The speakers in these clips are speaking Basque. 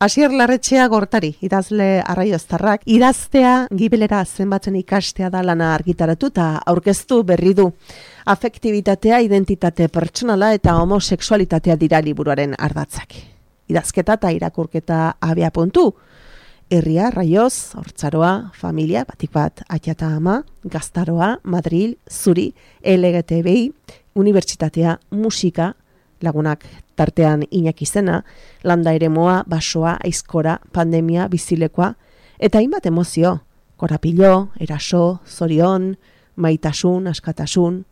Asier Larretxea Gortari, idazle arraioztarrak, idaztea gibelera zenbatzen ikastea da lana argitaratu eta aurkeztu berri du. Afektibitatea, identitate pertsonala eta homosexualitatea dira liburuaren ardatzak. Idazketa eta irakurketa abia puntu. Herria, Raioz, Hortzaroa, familia, batik bat, Aita ama, Gaztaroa, Madril, Zuri, LGTBI, unibertsitatea, musika, lagunak tartean Iñaki Zena, landa eremoa, basoa, aizkora, pandemia, bizilekoa, eta hainbat emozio, korapilo, eraso, zorion, maitasun, askatasun.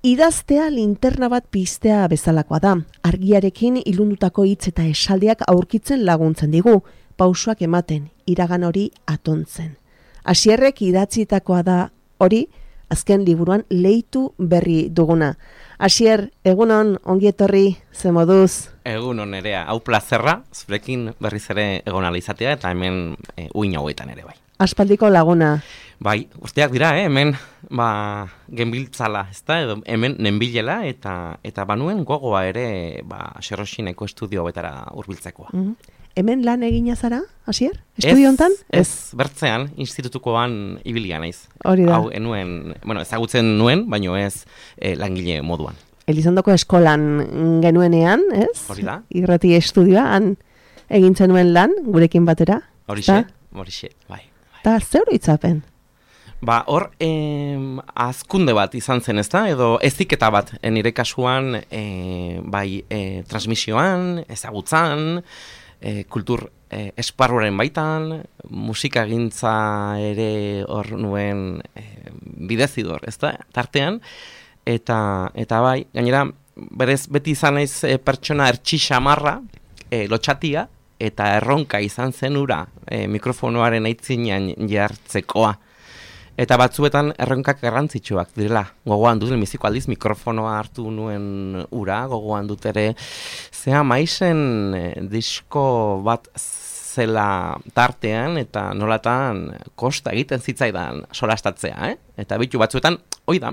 Idaztea linterna bat piztea bezalakoa da, argiarekin ilundutako hitz eta esaldiak aurkitzen laguntzen digu, pausoak ematen, iragan hori atontzen. Asierrek idatzitakoa da hori, azken liburuan leitu berri duguna. Asier, egunon, ongi etorri, ze moduz? Egunon Nerea, hau plazerra, zurekin berriz ere egon izatea eta hemen uin hauetan ere bai. Aspaldiko laguna. Bai, guztiak dira, hemen genbiltzala, ezta, edo hemen nenbilela eta banuen gogoa ere Xerroxineko estudio betara hurbiltzekoa. Hemen lan egina zara, Asier? Estudio hontan? Ez, bertzean, institutukoan ibilia naiz. Hori da. Hau, ezagutzen nuen, baino ez langile moduan. Elizondoko eskolan genuenean, ez? Hori da. Irrati estudioa, han egintzen nuen lan, gurekin batera. Horixe, bai. Eta zer hitzapen? Hor, azkunde bat izan zen, ezta? Edo eziketa bat, nire kasuan, transmisioan, ezagutzan, kultur esparruaren baitan, musikagintza ere hor nuen bidezidor, ezta? Tartean, eta bai, gainera, berez beti izan naiz pertsona ertxixamarra, lotxatia, eta erronka izan zen ura mikrofonoaren aitzinean jartzekoa. Eta batzuetan erronkak garrantzitsuak direla. Gogoan dut, lehenbiziko aldiz mikrofonoa hartu nuen ura, gogoan dut ere zea maizen disko bat zela tartean eta nolatan kosta egiten zitzaidan solastatzea, Eta bitu batzuetan, hoi da,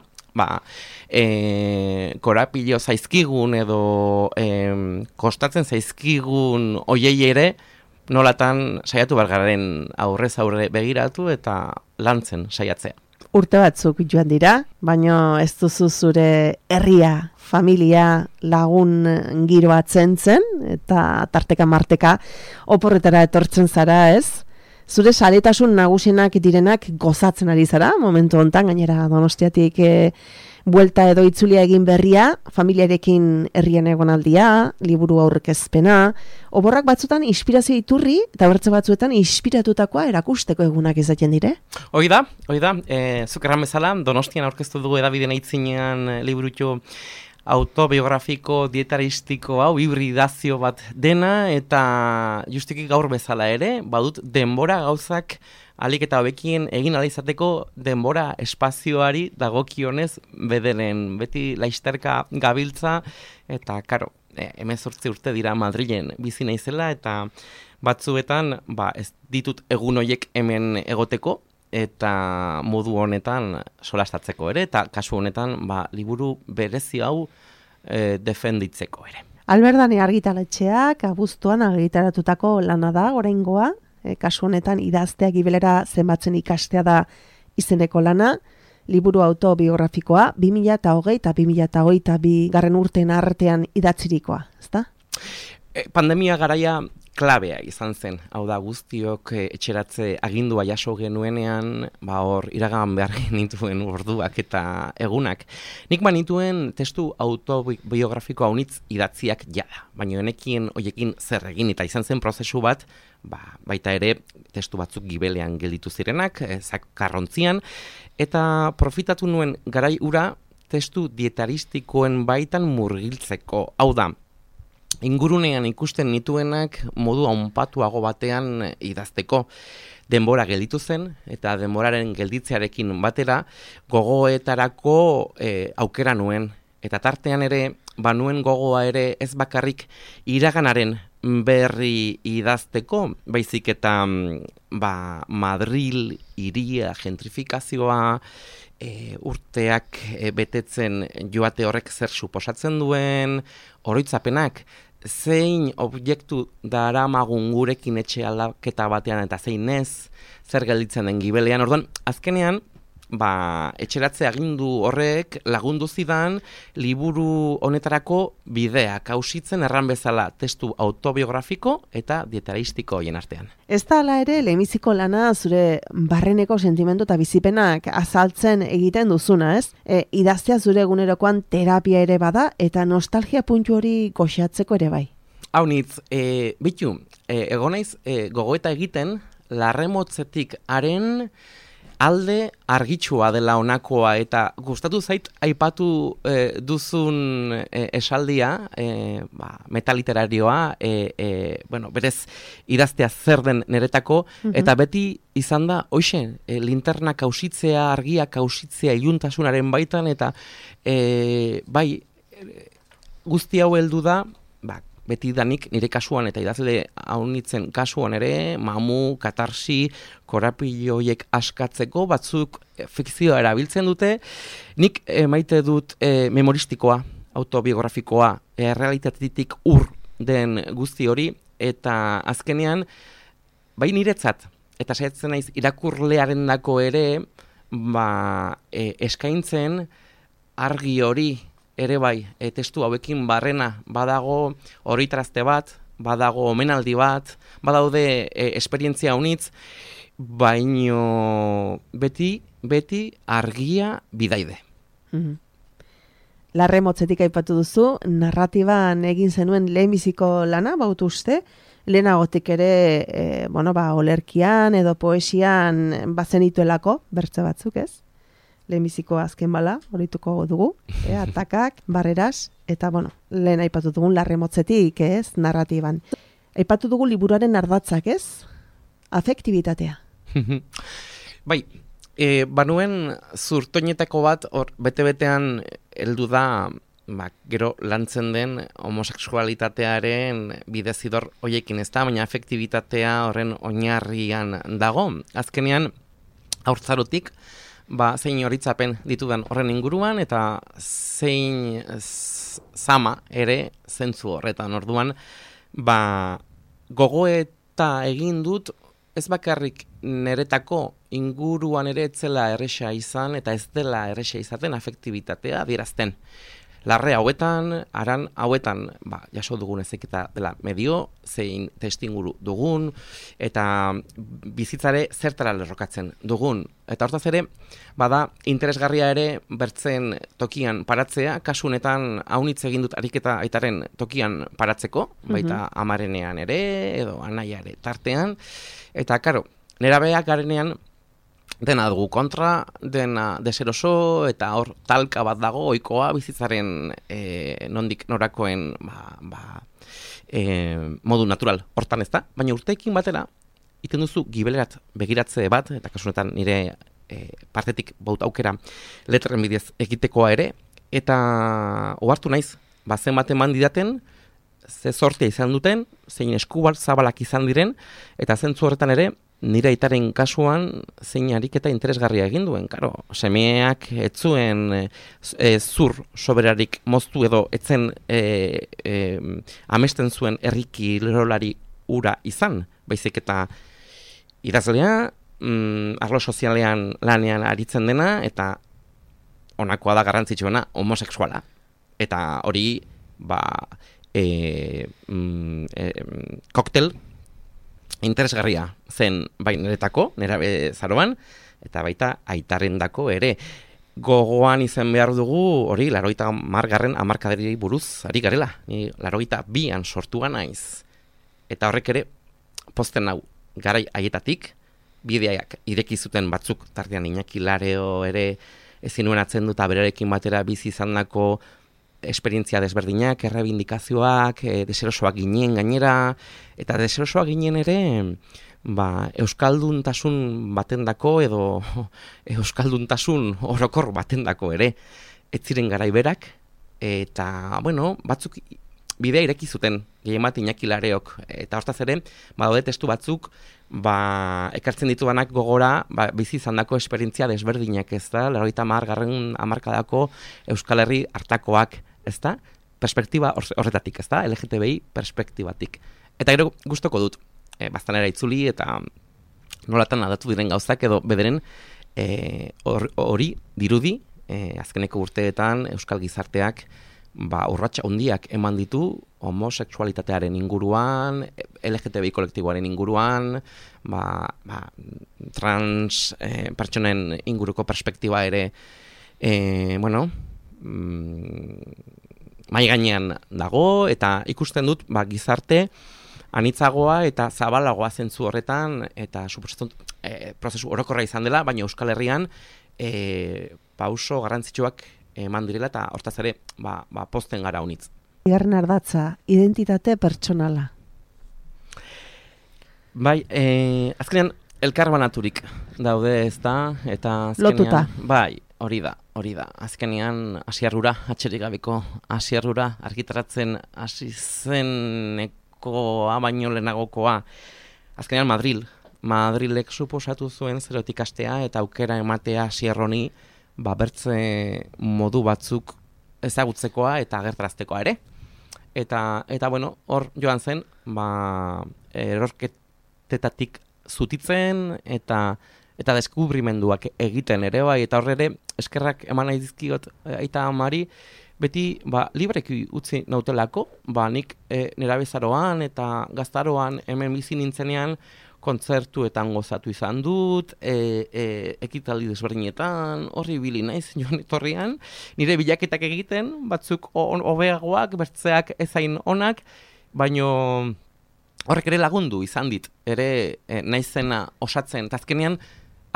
korapilo zaizkigun edo kostatzen zaizkigun oiei ere, nolatan saiatu bergaren aurrez aurre begiratu eta lantzen saiatzea. Urte batzuk joan dira, baino ez duzu zure herria, familia, lagun giroa zen, eta tarteka marteka oporretara etortzen zara, ez? Zure saretasun nagusienak direnak gozatzen ari zara, momentu hontan gainera Donostiatik buelta edo itzulia egin berria, familiarekin herrian egonaldia, liburu aurkezpena, oborrak batzutan inspirazio iturri, eta bertze batzuetan inspiratutakoa erakusteko egunak izaten dire? Hoi da, zuk erran bezala, Donostian aurkeztu dugu edabideen aitzinean liburutxo autobiografiko, dietaristiko, hibridazio bat dena, eta justiki gaur bezala ere, badut denbora gauzak alik eta hobekien egin ala izateko denbora espazioari dagokionez bederen, beti laizterka gabiltza, eta karo, 18 urte dira Madrilen bizi naizela, eta batzuetan ez ditut egun horiek hemen egoteko, eta modu honetan solastatzeko ere, eta kasu honetan liburu berezi hau defenditzeko ere. Alberdane argitaletxeak abuztuan argitaratutako lana da, oraingoa, kasu honetan idaztea gibelera zenbatzen ikastea da izeneko lana, liburu autobiografikoa, 2020 eta 2022 garren urteen artean idatzirikoa, ezta? Pandemia garaia klabea izan zen, hau da guztiok etxeratze agindua jaso genuenean, hor iragan behar genituen orduak eta egunak. Nik banituen testu autobiografiko haunitz idatziak jada, baina honekien hoiekin zer egin, eta izan zen prozesu bat, baita ere testu batzuk gibelean gelditu zirenak, zakarrontzian, eta profitatu nuen garai ura testu dietaristikoen baitan murgiltzeko, hau da, ingurunean ikusten nituenak modu haunpatuago batean idazteko. Denbora gelditu zen, eta denboraren gelditzearekin batera gogoetarako aukera nuen. Eta tartean ere, banuen gogoa ere ez bakarrik iraganaren berri idazteko, baizik eta Madril hiria gentrifikazioa, urteak betetzen joate horrek zer suposatzen duen, oroitzapenak, zein objektu daramagun gurekin etxe aldaketa batean eta zein ez, zer gelditzen den gibelean. Orduan, azkenean, etxeratze agindu horrek lagundu zidan liburu honetarako bideak hausitzen erran bezala testu autobiografiko eta dietaristiko hoien artean. Ez da hala ere, lehenbiziko lana zure barreneko sentimendu eta bizipenak azaltzen egiten duzuna, ez? Idaztea zure egunerokoan terapia ere bada eta nostalgia puntu hori goxatzeko ere bai. Haunitz, egonaiz gogoeta egiten larremotzetik haren alde argitsua dela honakoa eta gustatu zait aipatu duzun esaldia, metaliterarioa, berez idaztea zer den niretako, eta beti izan da, hoxe, linternak ausitzea, argiak ausitzea iluntasunaren baitan, eta guzti hau heldu da, beti danik nire kasuan eta idazle haunitzen kasuan ere, mamu, katarsi, korapilloiek askatzeko, batzuk fikzioa erabiltzen dute, nik maite dut memoristikoa, autobiografikoa, realitatetik den guzti hori, eta azkenean, bai niretzat, eta saiatzen naiz irakurlearen dako ere, eskaintzen argi hori, ere bai, testu hauekin barrena, badago oroitarazte bat, badago omenaldi bat, badaude esperientzia unitz, baino beti argia bidaide. Larremotzetik aipatu duzu, narratiban egin zenuen lehenbiziko lana, bautu uste, lehenagotik ere, olerkian edo poesian bazenituelako, bertze batzuk ez? Lehenbiziko azken bala, horituko dugu, atakak, barreras, eta lehen aipatu dugun larremotzetik, ez, narratiban. Aipatu dugu liburuaren ardatzak, ez? Afektibitatea. Bai, banuen zurtoinetako bat, bete-betean heldu da, gero lantzen den homosexualitatearen bidezidor hoiekin ez da, baina afektibitatea horren oinarrian dago. Azkenean, haurtzarotik, zein horitzapen ditudan horren inguruan, eta zein zama ere zentzu horretan. Orduan, gogoeta egin dut, ez bakarrik niretako inguruan ere etzela erresa izan, eta ez dela erresa izaten afektibitatea adierazten. Larre hauetan, aran hauetan, jaso dugun ezeketa dela medio, zein testinguru dugun, eta bizitzare zertara lerrokatzen dugun. Eta hortaz ere, bada interesgarria ere bertzen tokian paratzea, kasu honetan haunitz egin dut ariketa aitaren tokian paratzeko, baita amarenean ere, edo anaia ere tartean, eta karo, nerabeak garenean, dena dugu kontra, dena deseroso, eta hor talka bat dago, ohikoa bizitzaren nondik norakoen modu natural hortan ez da, baina urteekin batera, iten duzu gibelerat begiratze bat, eta kasunetan nire partetik baut aukera letren bidez egitekoa ere, eta ohartu naiz, zenbat eman didaten, ze sortea izan duten, zein eskubar zabalak izan diren, eta zentzu horretan ere, nire aitaren kasuan zein ariketa interesgarria egin duen, karo, semeak etzuen zur soberarik moztu edo etzen amesten zuen herriki lerolari ura izan, baizik eta idazlea, arlo sozialean lanean aritzen dena, eta honakoa da garrantzitsuena homosexuala. Eta hori, koktel interesgarria zen bai niretako, nerabe zaroan, eta baita aitarendako ere. Gogoan izan behar dugu, hori, 80. hamarkadari buruz ari garela. Ni 82an sortua naiz. Eta horrek ere, pozten hau, garai haietatik, bideak ireki zuten batzuk, tartean Iñaki Lareo ere ezin nuen atzen dut, berarekin batera bizi izandako esperientzia desberdinak, errebindikazioak, deserosoak ginen gainera, eta deserosoak ginen ere, euskalduntasun batendako edo euskalduntasun orokor batendako ere, ez ziren garaiberak, eta, batzuk bidea ireki zuten, gehiemat Iñaki Lareok, eta hortaz ere, badaude testu batzuk, ekartzen ditudanak gogora, bizi izandako esperientzia desberdinak, ez da, 80. hamarkadako Euskal Herri hartakoak, ez da, perspektiba horretatik, ez da, LGTBI perspektibatik. Eta gero gustoko dut, baztanera itzuli eta nolatan aldatu diren gauzak edo bederen hori dirudi, azkeneko urteetan Euskal Gizarteak urrats handiak eman ditu homosexualitatearen inguruan, LGTBI kolektiboaren inguruan, trans pertsonen inguruko perspektiba ere, mai gainean dago, eta ikusten dut gizarte anitzagoa eta zabalagoa zentzu horretan, eta suposatzen prozesu orokorra izan dela, baina Euskal Herrian pauso garrantzitsuak eman direla, eta hortaz ere pozten gara honitz. Bigarren ardatza, identitate pertsonala. Bai, azkenean elkarbanaturik daude, ez da, eta azkenean... Lotuta. Bai, hori da. Azkenean asiarrura, atxerik gabeko asiarrura argitaratzen hasi zeneko baino lehenagokoa. Azkenean Madrilek suposatu zuen zerotik astea eta aukera ematea asiarroni bertze modu batzuk ezagutzekoa eta agertaraztekoa ere. Eta hor joan zen, erorketetatik zutitzen eta deskubrimenduak egiten ere bai, eta horre eskerrak eman nahi dizkiot aita amari, beti libreki utzi nautelako, nik nerabezaroan eta gaztaroan hemen bizi nintzenean kontzertuetan gozatu izan dut, ekitaldi desberdinetan, horri bili naiz joan etorrian, nire bilaketak egiten, batzuk hobeagoak, bertzeak ezain onak, baino horrek ere lagundu izan dit, ere naizena osatzen, eta azkenean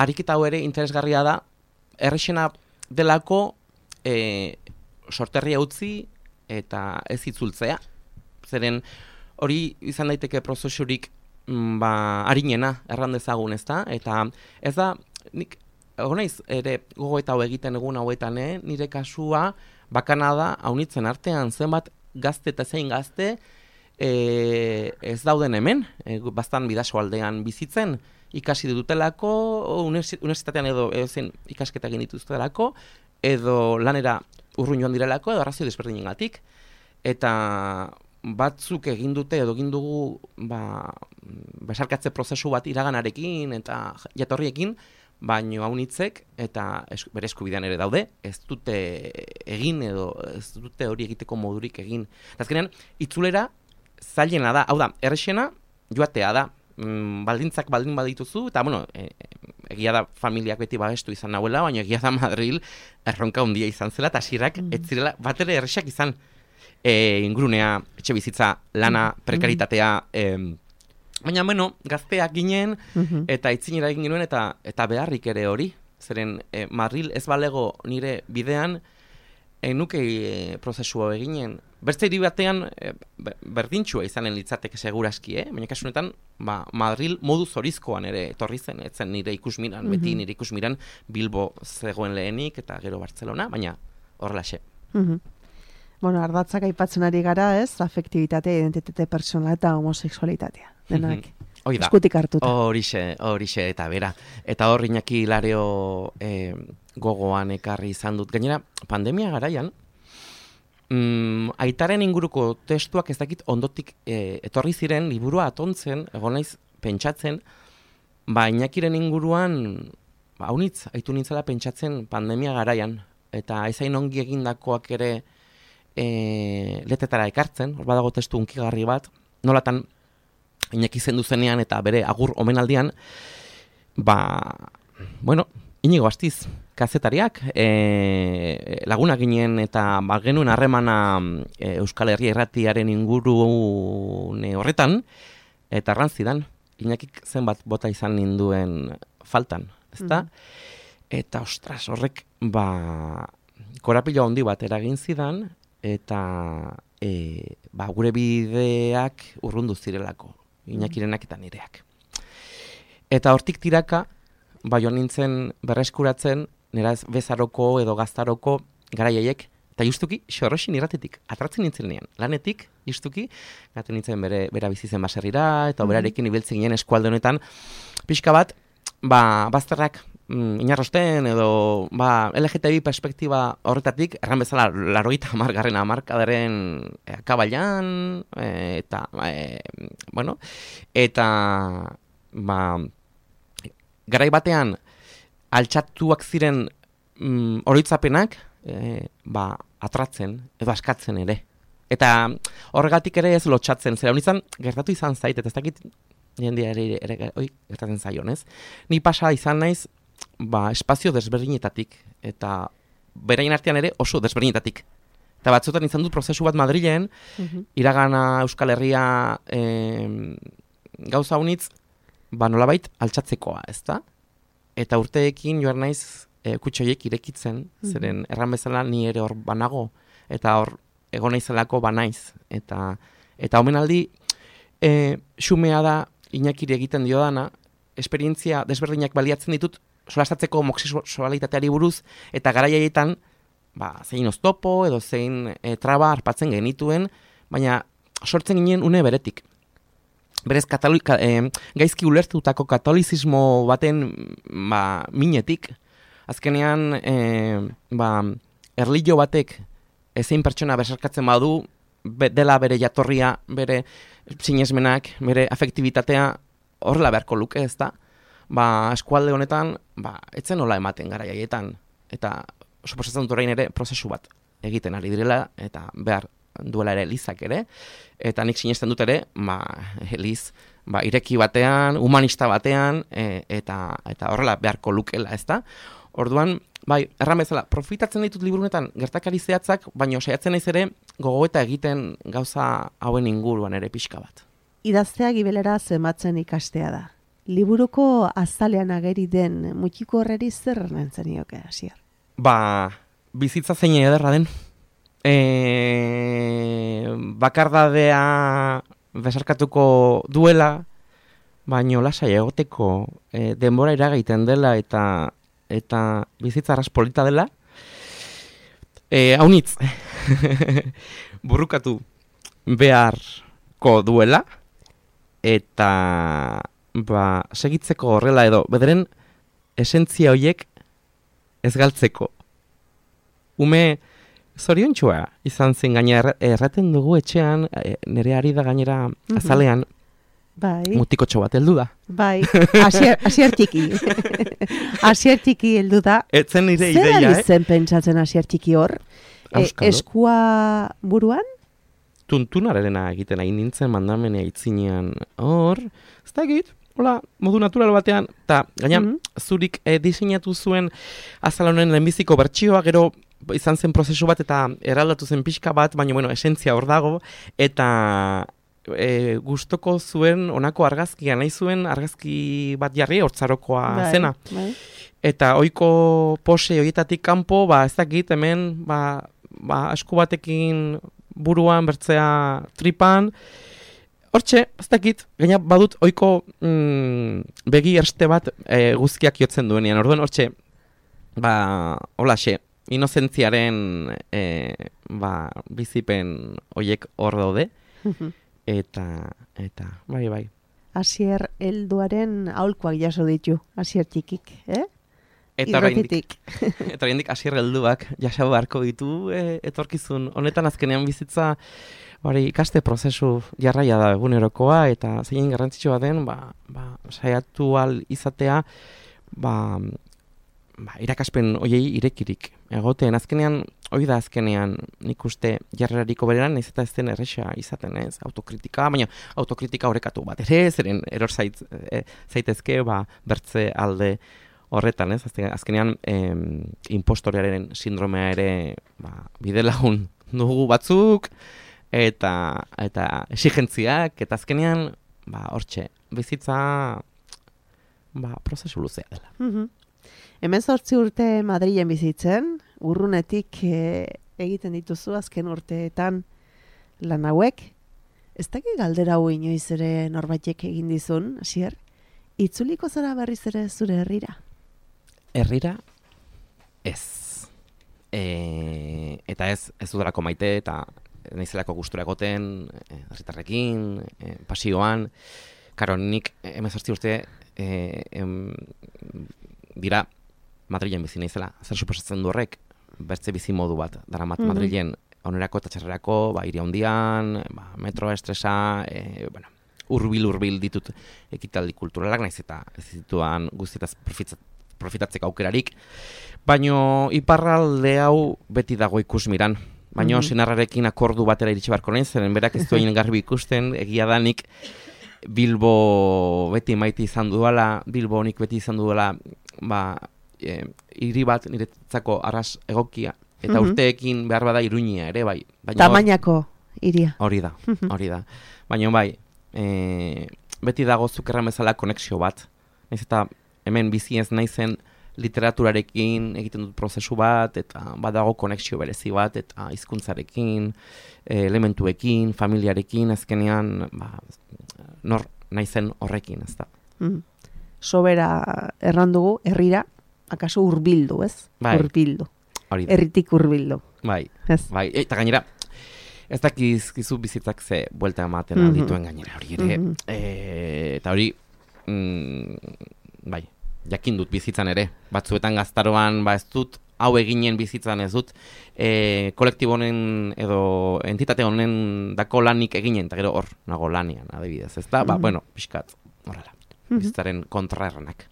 ariketa hau ere interesgarria da, errexena delako sorterria utzi eta ez itzultzea. Zeren hori izan daiteke prozesurik harinena erran dezagun, ezta? Eta ez da, nik naiz ere gogoeta hau egiten egun hauetan, nire kasua bakana da haunitzen artean zenbat gazte eta zein gazte ez dauden hemen, bastan bidaso aldean bizitzen, ikasi dutelako, universitatean edo zen ikasketa egin dituztelako, edo lanera urrun joan direlako, edo arrazio desberdinengatik, eta batzuk egin dute edo egin dugu besarkatze prozesu bat iraganarekin eta jatorriekin, baino haunitzek eta bere eskubidean ere daude, ez dute egin edo ez dute hori egiteko modurik egin. Azkenean, itzulera zailena da, hau da, errexena joatea da, baldintzak baldin badituzu, eta egia da familiak beti babestu izan nahuela, baina egia da Madril erronka handia izan zela, eta hasierak ez zirela bat ere errexak izan ingurunea, etxe bizitza, lana, prekaritatea, baina gazteak ginen, eta itzinera egin genuen, eta beharrik ere hori, zeren Madril ez balego nire bidean, nuke prozesua eginen. Bertze hiri batean berdintxua izanen litzateke seguraski, baina kasu honetan Madril modu zorizkoan ere etorri zen, etzen nire ikusmiran, beti nire ikusmiran Bilbo zegoen lehenik eta gero Bartzelona, baina horrelaxe. Ardatzak aipatzen ari gara, ez? Afektibitatea, identitate pertsonala eta homosexualitatea. Denak eskutik hartuta. Horixe eta bera. Eta hor Iñaki Lareo gogoan ekarri izan dut. Gainera, pandemia garaian, aitaren inguruko testuak ez dakit ondotik etorri ziren, liburua atontzen, egon naiz pentsatzen, Iñakiren inguruan, haunitz, aitu nintzela pentsatzen pandemia garaian, eta ezain ongi egindakoak ere letetara ekartzen, hor badago testu unkigarri bat, nolatan Iñaki zendu zenean eta bere agur omenaldian, Inigo Astiz, kazetariak, laguna ginen eta genuen harremana Euskal Herria Irratiaren ingurune horretan, eta arrantzidan, Iñakik zenbat bota izan ninduen faltan, ezta? Eta ostras, horrek, korapilo handi bat eragin zidan, eta gure bideak urrundu zirelako, Iñakirenak eta nireak. Eta hortik tiraka, joan nintzen berreskuratzen, nera bezaroko edo gaztaroko garaiaiek, eta justuki Xorroxin irratetik, atratzen nintzenean, lanetik, justuki, gaten nintzen bera bizitzen baserrira, eta berarekin ibiltzen ginen eskualde honetan, pixka bat, bazterrak inarrosten edo LGTBI perspektiba horretatik, erran bezala 80. hamarkadaren akabailan, eta garai batean altxatuak ziren oroitzapenak atratzen edo askatzen ere. Eta horregatik ere ez lotxatzen, zera honitzen gertatu izan zait, eta ez dakit jendea ere gertatzen zaion, ez? Ni pasa izan naiz espazio desberdinetatik, eta beraien artean ere oso desberdinetatik. Eta batzutan izan dut prozesu bat Madrilen, iragana Euskal Herria gauza honitz, nolabait altxatzekoa, ezta? Eta urteekin joan naiz kutxoiek irekitzen, zeren erran bezala ni ere hor banago, eta hor egon naizelako banaiz. Eta omenaldi, xumea da Iñakiri egiten dio dana, esperientzia desberdinak baliatzen ditut, solastatzeko homosexualitateari buruz, eta garaiaietan, zein oztopo edo zein traba harpatzen genituen, baina sortzen ginen une beretik. Berez, gaizki ulertutako katolizismo baten minetik, azkenean erlijio batek ezein pertsona besarkatzen badu, dela bere jatorria, bere sinesmenak, bere afektibitatea horrela beharko luke, ez da? Eskualde honetan, etzen nola ematen garaiaietan, eta suposatzen dut orain ere prozesu bat egiten ari direla, eta behar duela ere Elizak ere, eta nik sinesten dut ere, Eliz, ireki batean, humanista batean, eta horrela beharko lukela, ez da? Orduan, erran bezala, profitatzen ditut liburunetan gertakari zehatzak, baina saiatzen naiz ere gogoeta egiten gauza hauen inguruan ere pixka bat. Idaztea gibelera zenbatzen ikastea da. Liburuko azalean ageri den mutiko horreri zer nentzen nioke, Asier? Bizitza zein ederra den. Bakardadea besarkatuko duela, baino lasai egoteko denbora iragaiten dela eta bizitza arras polita dela. Haunitz, burrukatu beharko duela, eta segitzeko horrela edo, bederen esentzia horiek ez galtzeko. Ume zoriontxua izan zen gaina erraten dugu etxean, nire ari da gainera azalean, mutikotxo bat heldu da. Asier txiki. Asier txiki heldu da. Etzen nire ideia, Zer ari zen pentsatzen Asier txiki hor? Eskua buruan? Tuntunarena egiten hain nintzen mandamenea itzinean hor, ez da egit, modu natural batean, eta gaina zurik diseinatu zuen azalonen lehenbiziko bertsioa, gero izan zen prozesu bat eta eraldatu zen pixka bat, baina esentzia hor dago, eta gustoko zuen honako argazkia, nahi zuen argazki bat jarri hortzarokoa zena. Eta ohiko pose horietatik kanpo, ez dakit hemen, esku batekin buruan, bertzea tripan, hortxe, ez dakit, gaina badut ohiko begi erste bat guzkiak jotzen duenean, orduan hortxe, holaxe, inozentziaren bizipen horiek hor daude, eta bai. Asier helduaren aholkuak jaso ditu, Asier txikik, Eta oraindik Asier helduak jaso beharko ditu etorkizun. Honetan azkenean bizitza ikaste prozesu jarraia da egunerokoa, eta zein garrantzitsua den, saiatu ahal izatea, irakaspen hoiei irekirik egoten. Azkenean, hori da azkenean nik uste jarrerariko bereran, ez eta ez den erresa izaten, ez? Autokritika, baina autokritika horrekatu bat ere, zeren eror zaitezke, bertze alde horretan, ez? Azkenean, impostorearen sindromea ere bidelagun dugu batzuk, eta exigentziak, eta azkenean, hortxe, bizitza prozesu luzea dela. 18 urte Madrilen bizitzen, urrunetik egiten dituzu azken urteetan lan hauek. Ez dakit galdera hau inoiz ere norbaitek egin dizun, Asier? Itzuliko zara berriz ere zure herrira? Herrira? Ez. Eta ez dudalako maite, eta naizelako gustura egoten, herritarrekin, pasioan. Karo, nik 18 urte dira Madrilen bizi naizela, zer suposatzen du horrek, bertze bizi modu bat, daramat Madrilen onerako eta txarrerako, hiri handian, metroa, estresa, urbil ditut ekitaldi kulturalak, naiz eta ez dituan guztietaz profitatzeko aukerarik, baino iparralde hau beti dago ikusmiran, baino senarrarekin akordu batera iritsi barko nahi, zeren berak ez duen garbi ikusten, egia danik Bilbo beti maite izan duela, Bilbo honik beti izan duela, hiri bat niretzako arras egokia, eta urteekin behar bada Iruña ere, bai. Tamainako hiria. Hori da. Baina bai, beti dago zukerran bezala konexio bat. Naiz eta hemen bizi ez naizen literaturarekin egiten dut prozesu bat, eta badago konexio berezi bat, eta hizkuntzarekin, elementuekin, familiarekin, azkenean, nor naizen horrekin, ez da. Sobera errandugu, herrira, akaso hurbildu, ez? Bai. Hurbildu. Herritik hurbildu. Bai. Eta gainera, ez dakizkizu bizitzak ze buelta ematen dituen gainera hori ere. Eta hori, bai, jakin dut bizitzan ere. Batzuetan gaztaroan, ez dut, hau eginen bizitzan ez dut, kolektibo honen edo entitate honen dako lanik eginen, eta gero hor, nago lanian, adibidez, ez da? Bueno, pixkat, horrela, bizitzaren kontraerranak.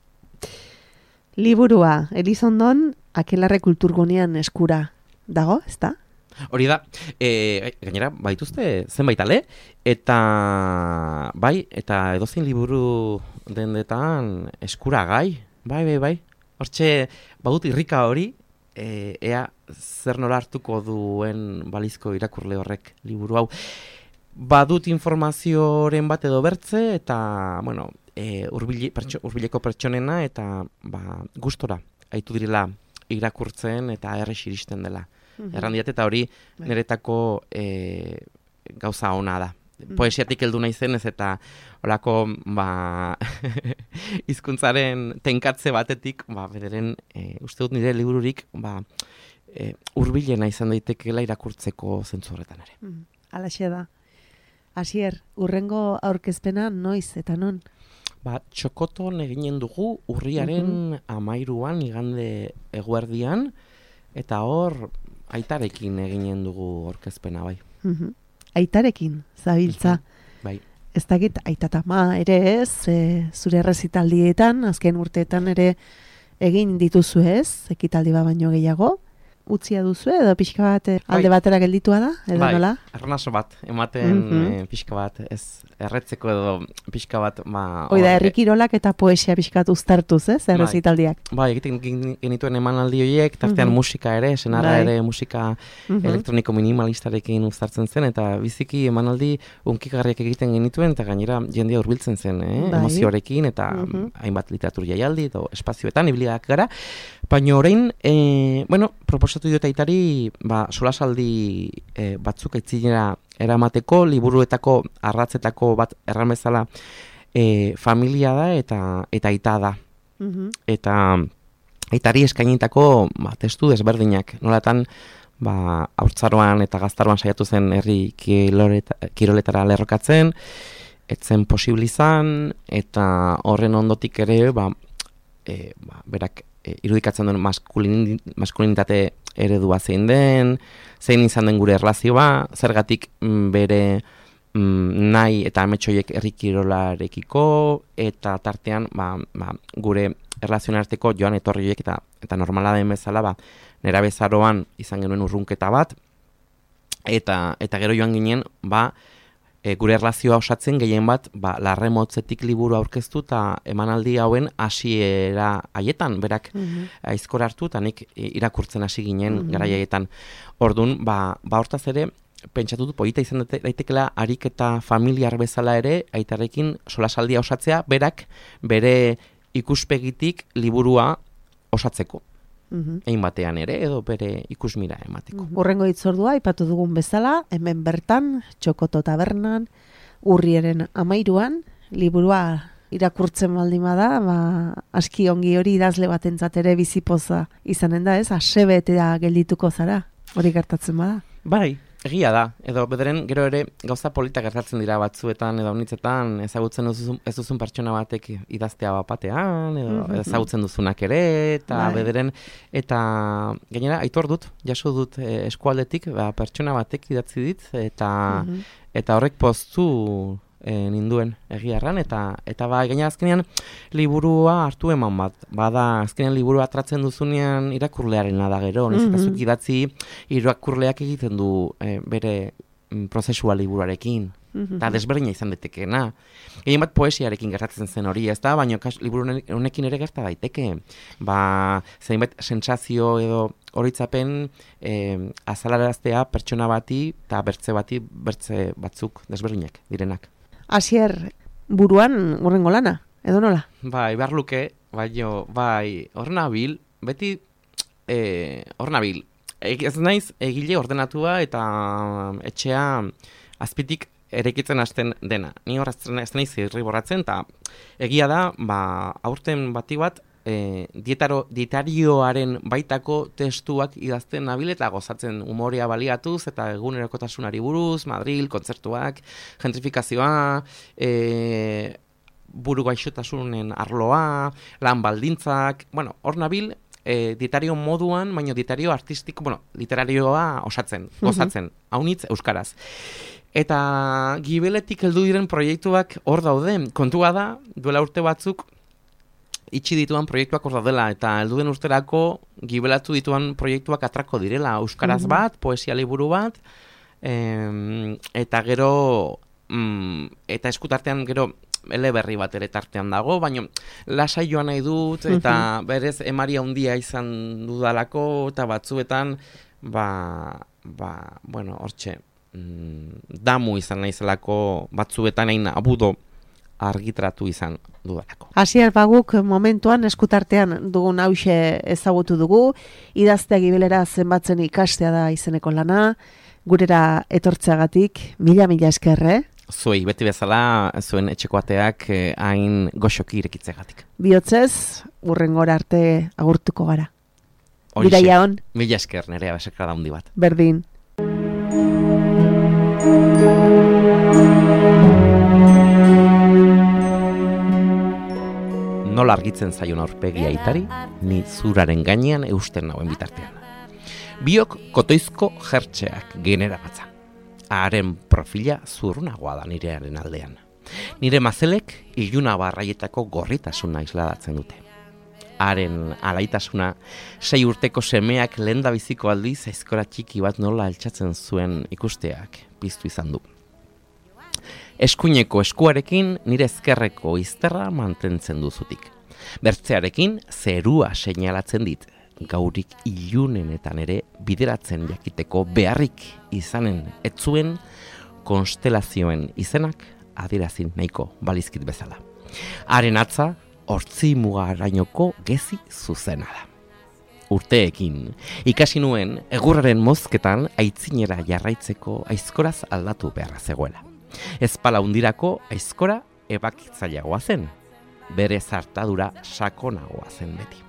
Liburua, Elizondon, Akelarre kulturgunean eskura dago, ez da? Hori da, gainera, baituzte zenbait ale, eta bai, eta edozein liburu dendetan eskuragai, bai. Hortxe, badut irrika hori, ea zer nola hartuko duen balizko irakurle horrek liburu hau. Badut informazioren bat edo bertze, eta, bueno, hurbileko pertsonena, eta gustora, haitu direla irakurtzen, eta errex iristen dela. Errandiat eta hori niretako gauza ona da. Poesiatik heldu naizenez eta holako hizkuntzaren tenkatze batetik, bederen uste dut nire libururik hurbilena izan daitekeela irakurtzeko zentzu horretan ere. Halaxe da. Asier, urrengo aurkezpena noiz eta non? Txokoton eginen dugu urriaren 13an igande eguerdian, eta hor Aitarekin eginen dugu aurkezpena, bai. Aitarekin, zabiltza. Bai. Ez dakit, aitatama ere ez, zure errezitaldietan, azken urteetan ere egin dituzu ez, ekitaldi bat baino gehiago. Utzia duzu edo pixka bat alde batera gelditua da, edo nola? Bai, arnaso bat, ematen pixka bat, ez erretzeko edo pixka bat, Oida, herrikirolak eta poesia pixka bat uztartuz, ez, errezitaldiak? Bai, egiten genituen emanaldi horiek, tartean musika ere, senarra ere musika elektroniko minimalistarekin uztartzen zen, eta biziki emanaldi unkigarriak egiten genituen, eta gainera jendea hurbiltzen zen, emozioarekin, eta hainbat literatur jaialdi, edo espazioetan, ibiliak gara, baina orain, proposatu diot Aitari, solasaldi batzuk aitzinera eramateko, liburuetako, arratzetako bat erramezala familia da eta aita da. Eta Aitari eskainitako testu desberdinak. Nolatan, haurtzaroan eta gaztaroan saiatu zen herri kiroletara lerrokatzen, etzen posible izan, eta horren ondotik ere, berak irudikatzen duen maskulinitate eredua zein den, zein izan den gure erlazioa, zergatik bere nahi eta ametsoiek herrikirolarekiko, eta tartean gure erlazioen arteko joan etorriek eta normala den bezala, nera bezaroan izan genuen urrunketa bat, eta gero joan ginen, gure erlazioa osatzen gehien bat, larremotzetik liburu aurkeztu eta emanaldi hauen hasiera haietan, berak aizkor hartu eta nik irakurtzen hasi ginen garai haietan. Orduan, hortaz ere, pentsatu dut polita izan daitekela harik eta familiar bezala ere, Aitarekin solasaldia osatzea, berak bere ikuspegitik liburua osatzeko. Egin batean ere, edo bere ikusmira emateko. Urrengo hitzordua, aipatu dugun bezala, hemen bertan, Txokoto tabernan, urriaren 13an, liburua irakurtzen baldin bada, aski ongi hori idazle batentzat ere bizipoza izanen da, ez? Asebetea geldituko zara, hori gertatzen bada. Bai, Egia da, edo bederen gero ere gauza polita gertatzen dira batzuetan edo honitzetan ezagutzen ez duzun pertsona batek idaztea bapatean, edo ezagutzen duzunak ere, eta bederen, eta gainera aitor dut, jaso dut eskualdetik, pertsona batek idatzi dit, eta horrek poztu ninduen egiarran, eta gainera azkenean liburua hartu eman bada, azkenean liburua atratzen duzunean irakurlearena da gero, eta zuk idatzi irakurleak egiten du bere prozesua liburuarekin, eta desberdina izan daitekeena. Egin bat poesiarekin gertatzen zen hori, ez da, baina liburu honekin ere gerta daiteke, zeinbat sentsazio edo horitzapen azalaraztea pertsona bati eta bertze batzuk desberdinak direnak. Asier, buruan hurrengo lana, edo nola? Bai, behar luke, hor nabil, beti hor nabil. Ez naiz egile ordenatua eta etxea azpitik eraikitzen hasten dena. Ni hor ez naiz irriborratzen, eta egia da, aurten bati bat, dietarioaren baitako testuak idazten nabil eta gozatzen umorea baliatuz eta egunerokotasunari buruz, Madril, kontzertuak, gentrifikazioa, buru gaixotasunen arloa, lan baldintzak, hor nabil, dietario moduan, baina dietario artistiko, literarioa osatzen, gozatzen, haunitz euskaraz. Eta gibeletik heldu diren proiektuak hor daude, kontua da, duela urte batzuk, itxi dituan proiektuak hor daudela, eta helduen urterako gibelatu dituan proiektuak atrako direla, euskaraz bat, poesia liburu bat, eta gero, eta eskutartean gero, eleberri bat ere tartean dago, baina lasai joan nahi dut, eta berez emaria handia izan dudalako, eta batzuetan, hortxe, damu izan naizelako batzuetan egin abudo argitratu izan dudalako. Asier, guk momentuan eskutartean dugun hause ezagutu dugu, idaztea gibelera zenbatzen ikastea da izeneko lana, gurera etortzeagatik, mila eskerre. Zuei, beti bezala, zuen etxeko ateak hain goxoki irekitzegatik. Bihotzez, hurrengora arte agurtuko gara. Bidaia hon. Mila esker, nerea besekra daundi bat. Berdin. Nola argitzen zaion aurpegia aitari, ni zuraren gainean eusten nauen bitartean. Biok kotoizko jertxeak genera batza. Haren profila zurrunagoa da nirearen aldean. Nire mazelek iluna barraietako gorritasuna isladatzen dute. Haren alaitasuna 6 urteko semeak lehendabiziko aldiz aizkora txiki bat nola altxatzen zuen ikusteak piztu izan du. Eskuineko eskuarekin nire ezkerreko izterra mantentzen duzutik. Bertzearekin zerua seinalatzen dit, gaurik ilunenetan ere bideratzen jakiteko beharrik izanen etzuen konstelazioen izenak adierazin nahiko balizkit bezala. Haren atza, hortzi mugarainoko gezi zuzena da. Urteekin, ikasi nuen egurraren mozketan aitzinera jarraitzeko aizkoraz aldatu beharra zegoela. Ezpala hundirako aizkora ebakitzaileagoa zen, bere zartadura sakonagoa zen beti.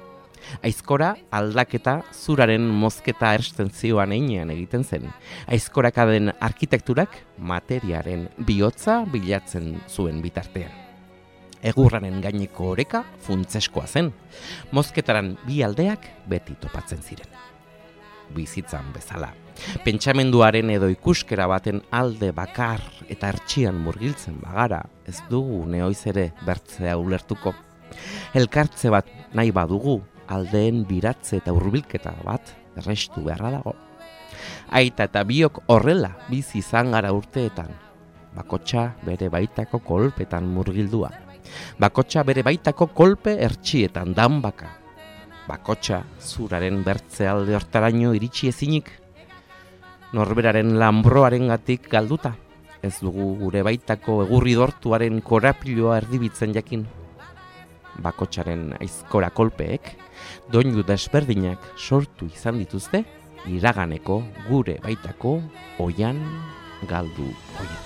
Aizkora aldaketa zuraren mozketa erstentzioan einean egiten zen. Aizkorakaden arkitekturak materiaren bihotza bilatzen zuen bitartean. Egurraren gaineko oreka funtzeskoa zen. Mozketaran bi aldeak beti topatzen ziren. Bizitzan bezala. Pentsamenduaren edo ikuskera baten alde bakar eta hertsian murgiltzen bagara, ez dugu neoiz ere bertzea ulertuko. Elkartze bat nahi badugu, aldeen biratze eta hurbilketa bat errestu beharra dago. Aita eta biok horrela bizi izan gara urteetan. Bakotxa bere baitako kolpetan murgildua. Bakotxa bere baitako kolpe hertsietan danbaka. Bakotxa zuraren bertze alde hortaraino iritsi ezinik. Norberaren lanbroarengatik galduta. Ez dugu gure baitako egurri dortuaren korapiloa erdibitzen jakin. Bakotxaren aizkora kolpeek, doinu desberdinak sortu izan dituzte, iraganeko gure baitako oian galdu oien.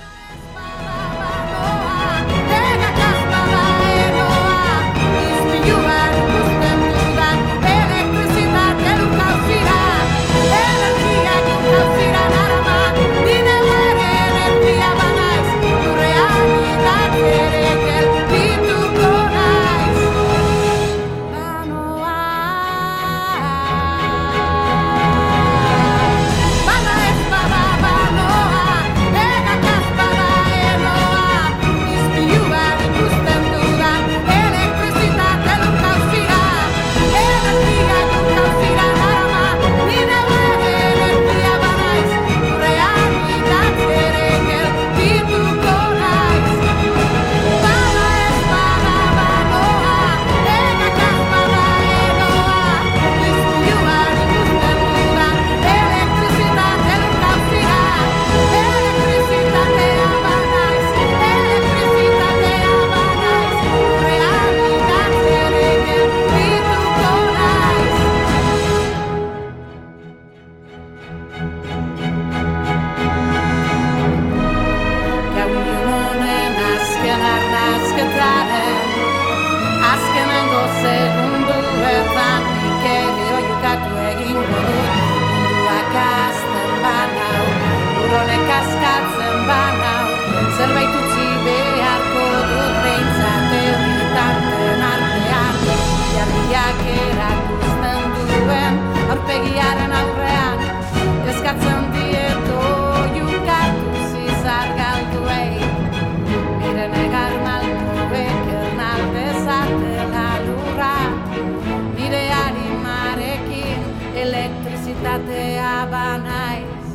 identitatea banaiz.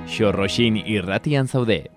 Xorroxin irratian zaude.